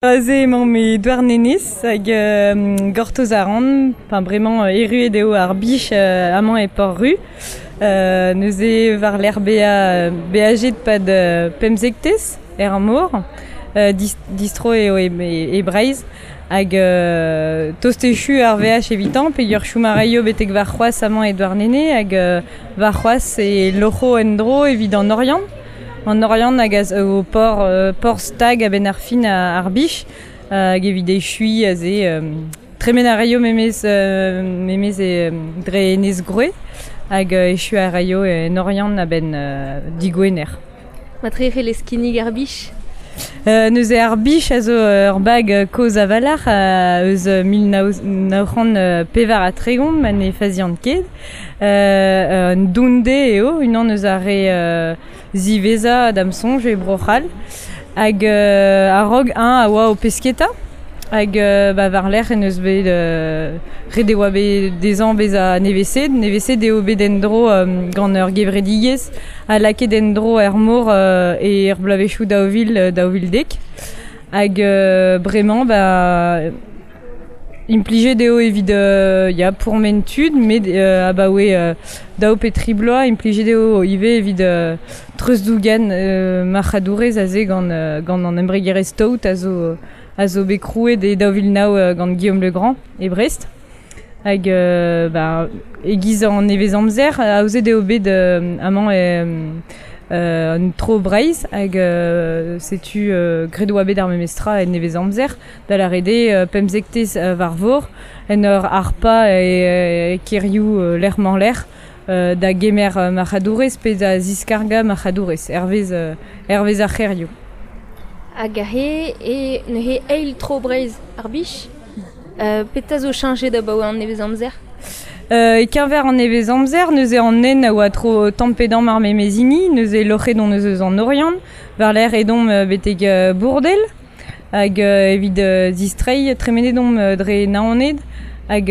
Aze emañ me Douarnenez hag gortoz a ran, enfin bremañ erruet eo ar bich amañ e Port-Ru. Neuze war-lerc'h bezañ beajet 'pad pemzektez er mor, distro eo e Breizh hag tost echu ar veaj evitañ peogwir chom a raio betek warc'hoazh amañ e Douarnenez hag warc'hoazh e loc'ho en-dro evit an Oriant. An Oriant hag a zo porzh stag a-benn ar fin ar bich hag evit echuiñ aze tremen a raio memes memes dre Enez Groe hag echuiñ a raio en Oriant a-benn digwener. Matre c'hellez kinnig ar bich? Neuze ar bich a zo ur bag kozh a-walc'h eus 1934 ma ne fazian ket. Un dounde eo, unan eus ar re ziwezhañ da'm soñj e Bro-C'hall. Hag a-raok eñ a oa o pesketa. Hag ba war-lerc'h en deus bet ret e oa bet dezhañ bezañ nevesaet. Nevesaet eo bet en-dro gant ur gevredigezh ha lakaet en-dro er mor er bloavezhioù 2000, 2010. Hag bremañ ba implijet eo evit ya pourmen tud, met abaoe daou pe tri bloaz implijet eo ivez evit treuzdougen marc'hadourezh aze gant gant an embregerezh Tout a zo bet krouet e 2009 gant Guillaume Legrand e Brest. Hag ba e-giz an nevez-amzer, aozet eo bet amañ un tro Breizh hag setu graet oa bet ar memes tra en nevez-amzer da lâret eo pemzektez war vor en ur harpañ e kêrioù lec'h-mañ-lec'h da gemer marc'hadourezh pe da ziskargañ marc'hadourezh hervez ar c'hêrioù. Hag aze e neuze eil tro Breizh ar bich. Petra zo cheñchet abaoe an nevez-amzer? E-keñver an nevez-amzer, neuze an hent a oa tro tamm pe damm ar memes hini, neuze loc'het hon eus eus an Oriant, war-lerc'h edomp betek Bourdel, hag evit distreiñ tremenet omp dre Naoned hag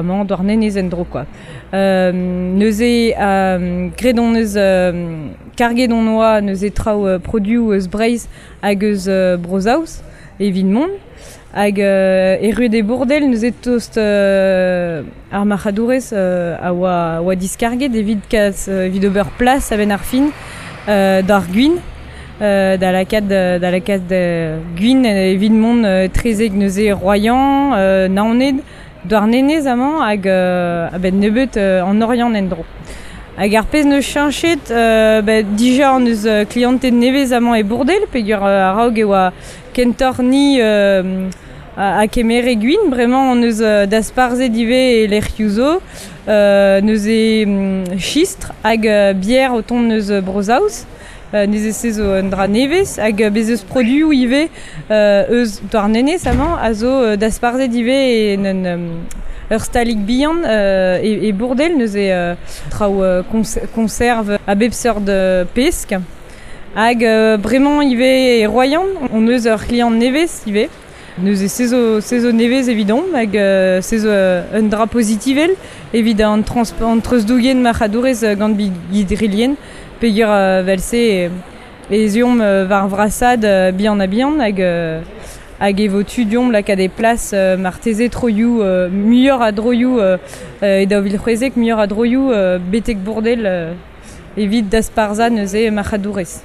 amañ Douarnenez en-dro quoi. Neuze graet hon eus karget hon oa neuze traoù produoù eus Breizh hag eus Bro-Saoz evit mont. Hag erruet e Bourdel neuze tost ar marc'hadourezh a oa diskarget evit kas evit ober plas a-benn ar fin d'ar gwin da lakaat gwin evit mont etrezek neuze Royan, Naoned, Douarnenez amañ hag a-benn nebeut an Oriant en-dro. Hag ar pezh neus cheñchet, ba dija hon eus klianted nevez amañ e Bourdel peogwir a-raok e oa kentoc'h ni a kemere gwin, bremañ hon eus dasparzhet ivez e lec'hioù zo, neuze chistr hag bier o tont eus Bro-Saoz. Neuze se zo un dra nevez hag bez eus produoù ivez eus Douarnenez amañ a zo dasparzhet ivez en ur stalig bihan e Bourdel, neuze traoù konserv a bep seurt pesk. Hag bremañ ivez e Royan hon eus ur c'hliant nevez ivez. Neuze se zo nevez evidomp hag se zo un dra pozitivel evit an an treuzdougen marc'hadourezh gant bigi-dre-lien peogwir evel-se ez eomp war vrasaat bihan-ha-bihan hag e vo tu deomp lakaat e plas marteze troioù muioc'h a droioù e 2016 muioc'h a droioù betek Bourdel evit dasparzhañ neuze marc'hadourezh.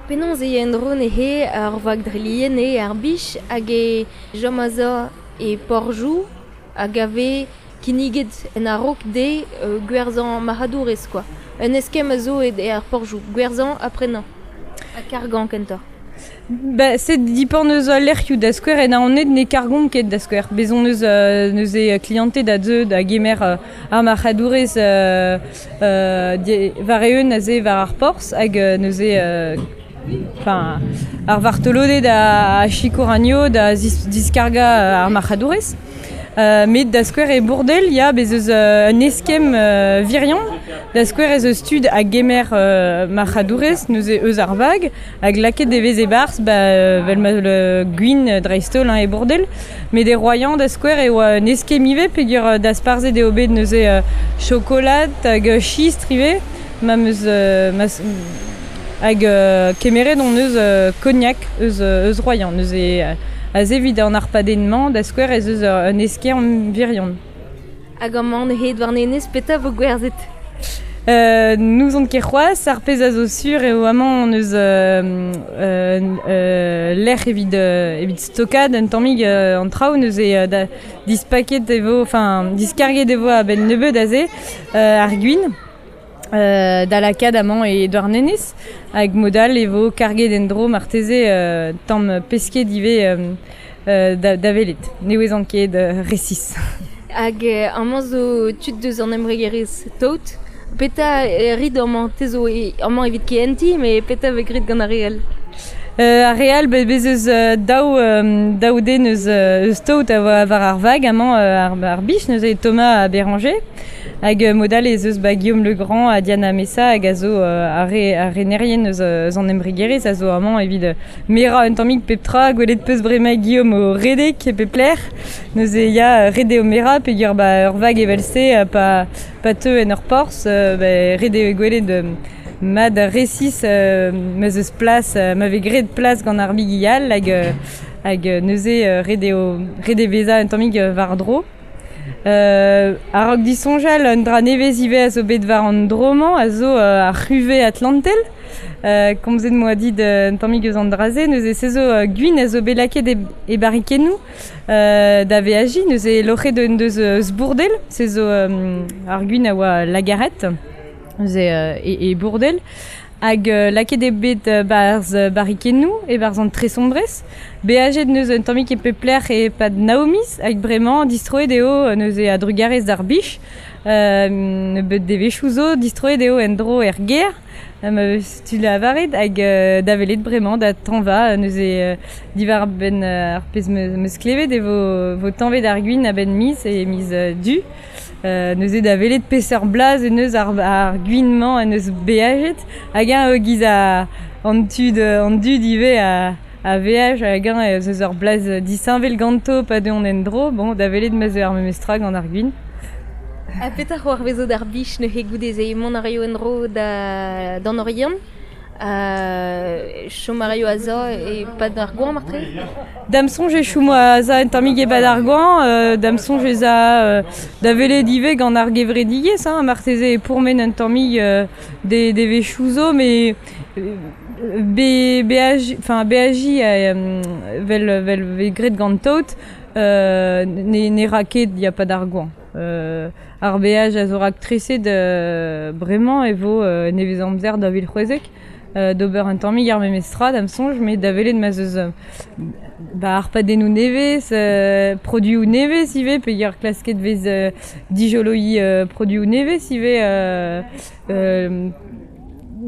Penaos eo en-dro neuze ar vag dre-lien eo ar bich hag e chom a-za e Porjou hag a vez kinniget en a-raok dezhe gwerzhañ marc'hadourezh quoi. Un eskemm a zo e ar Porjou, gwerzhañ ha prenañ. Ha kargañ kentoc'h. Ba, se dipant eus al lec'hioù da skouer en Naoned ne kargomp ket da skouer. Bez hon eus neuze klianted a zeu da gemer ar marc'hadourezh war-eeun aze war ar porzh hag neuze enfin ar vartoloded a sikour anezho da diskargañ ar marc'hadourezh. Met da skouer e Bourdel, ya, bez eus un eskemm virion. Da skouer ez eus tud a gemer marc'hadourezh neuze eus ar vag hag lakaet e vez e-barzh ba vel ma gwin dreist-holl hein, e Bourdel. Met e Royan da skouer e oa un eskemm ivez peogwir dasparzhet eo bet neuze chokolad hag chistr ivez ma 'm eus ma Hag kemeret hon eus kognak eus Royan. Neuze aze evit an arpadenn-mañ da skouer ez eus un eskern virion. Hag amañ neuze Douarnenez petra vo gwerzhet? N'ouzon ket c'hoazh, ar pezh a zo sur eo amañ hon eus lec'h evit stokaat un tammig an traoù neuze da dispaket e vo, enfin diskarget e vo a-benn nebeut aze ar gwin. Da lakaat amañ e Douarnenez hag mod all e vo karget en-dro marteze tamm pesked ivez da welet. Ne ouezan ket resis. Hag amañ zo tud deus an embregerezh Taot. Petra rit amañ? Te zo amañ evit kehentiñ, met petra vez graet gant ar re all? Ar re all, bez eus daou den eus Taot a oa war ar vag amañ ar bich, neuze Thomas ha Béranger. Hag mod all ez eus ba Guillaume Legrand ha Diana Messa hag a zo ar renerien eus an embregerezh a zo amañ evit merañ un tammig pep tra, gwelet peus bremañ Guillaume o redek e pep lec'h. Neuze ya ret eo merañ peogwir ba ur vag evel-se pa teu en ur porzh, ret eo gwelet mat resis ma 'z eus plas, ma vez graet plas gant ar bigi all hag neuze ret eo bezañ un tammig war-dro. A-raok disoñjal, un dra nevez ivez a zo bet war an dro-mañ a zo ar c'huve atlantel. Komzet 'moa dit un tammig eus an dra-se, neuze se zo gwin a zo bet lakaet e barrikennoù da veajiñ, neuze loc'het en deus eus Bourdel, se zo ar gwin a oa Lagarette, neuze e Bourdel. Hag lakaet eo bet barzh barrikennoù e-barzh an Tresombrez. Beajet neuze un tammig e pep lec'h e-pad nav miz hag bremañ distroet eo neuze a-drugarez d'ar bich. Nebeut devezhioù zo distroet eo en-dro er gêr, ma vez tu lavaret, hag da welet bremañ da tañva neuze diwar-benn ar pezh 'meus klevet e vo tañvet ar gwin a-benn miz e miz Du. Neuze da welet peseurt blaz en deus ar gwin-mañ en deus beajet hag eñ e-giz an tud an dud ivez a veaj hag eñ ez eus ur blaz disheñvel ganto pa deuont en-dro. Bon, da welet ma 'z eo ar memes tra gant ar gwin. Ha petra c'hoarvezo d'ar bich neuze goude-se? Mont a raio en-dro d'an Oriant? Chom a raio a-za e-pad ar goañv marteze? Da'm soñj e chomo a-za un tammig e-pad ar goañv, da'm soñj ez a da welet ivez gant ar gevredigezh, hein, marteze e pourmen un tammig devezhioù zo, met beajiñ 'vel vez graet gant Taot ne ra ket ya 'pad ar goañv. Ar beaj a zo raktreset bremañ e vo nevez-amzer 2016 d'ober un tammig ar memes tra da'm soñj, met da welet ma 'z eus ba ar padennoù nevez, produioù nevez ivez, peogwir klasket 'vez dijoloiñ produioù nevez ivez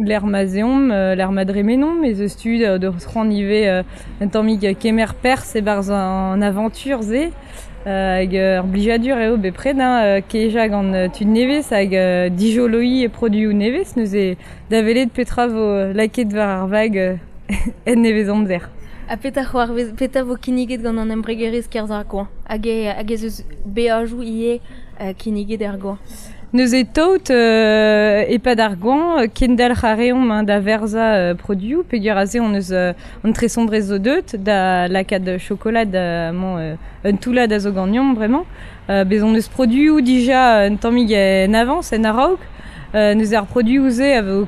lec'h ma 'z eomp, lec'h ma dremenomp, ez eus tu d'ober c'hoant ivez un tammig kemer perzh e-barzh an avantur-se. Hag ur blijadur eo bepred hein, kejañ gant tud nevez hag dijoloiñ produioù nevez. Neuze da welet petra vo lakaet war ar vag en nevez-amzer. Ha petra c'hoarvez, petra vo kinniget gant an embregerezh kerzh ar goañv? Hag ez eus beajoù ivez kinniget er goañv? Neuze Taot e-pad ar goañv, kendalc'h a reomp hein, da verzañ produioù, peogwir aze hon eus an tresombrez zo deuet da lakaat chokolad amañ un toullad a zo ganeomp bremañ. Bez hon eus produioù dija un tammig en avañs, en a-raok. Neuze ar produioù-se a vo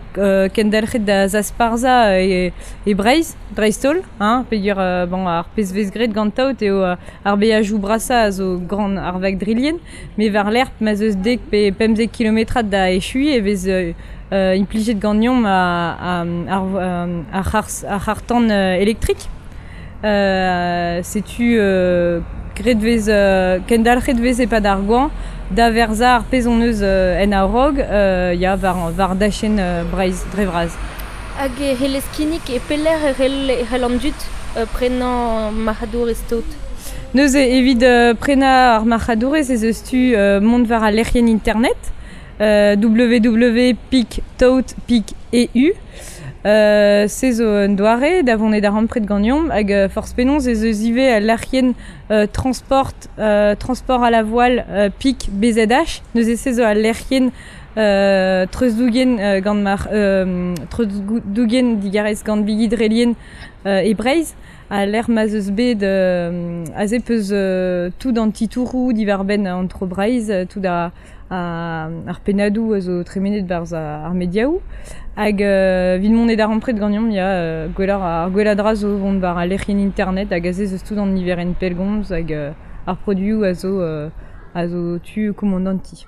kendalc'het da zasparzhañ e Breizh, dreist-holl, hein, peogwir bon, ar pezh 'vez graet gant Taot eo ar beajoù brasañ a zo gant ar vag drilien, met war-lerc'h ma 'z eus dek pe pemzek kilometrad da echuiñ e vez implijet ganeomp ar c'harr-tan elektrik. Setu graet 'vez kendalc'het 'vez e-pad ar goañv da verzañ ar pezh hon eus en a-raok ya war dachenn Breizh dre vras. Hag e c'hellez kinnig e pelec'h e c'hell an dud prenañ marc'hadourezh Taot? Neuze evit prenañ ar marc'hadourezh ez eus tu mont war al lec'hienn internet www.pictaot.eu. Se zo un doare da vont e darempred ganeomp hag forzh penaos ez eus ivez al lec'hienn transport à la voile pic BZH. Neuze se zo al lec'hienn Treuzdougen gant mar treuzdougen digarez gant bigi drelien e Breizh a lec'h ma'z eus bet aze peus tout an titouroù diwar-benn an tro Breizh, tout ar pennadoù a zo tremenet barzh ar mediaoù. Hag evit mont e darempred ganeomp ya, gwelloc'h ar gwellañ dra zo vont war al lec'hienn internet hag aze ez eus tout an niverenn pellgomz hag ar produioù a zo tu komandantiñ.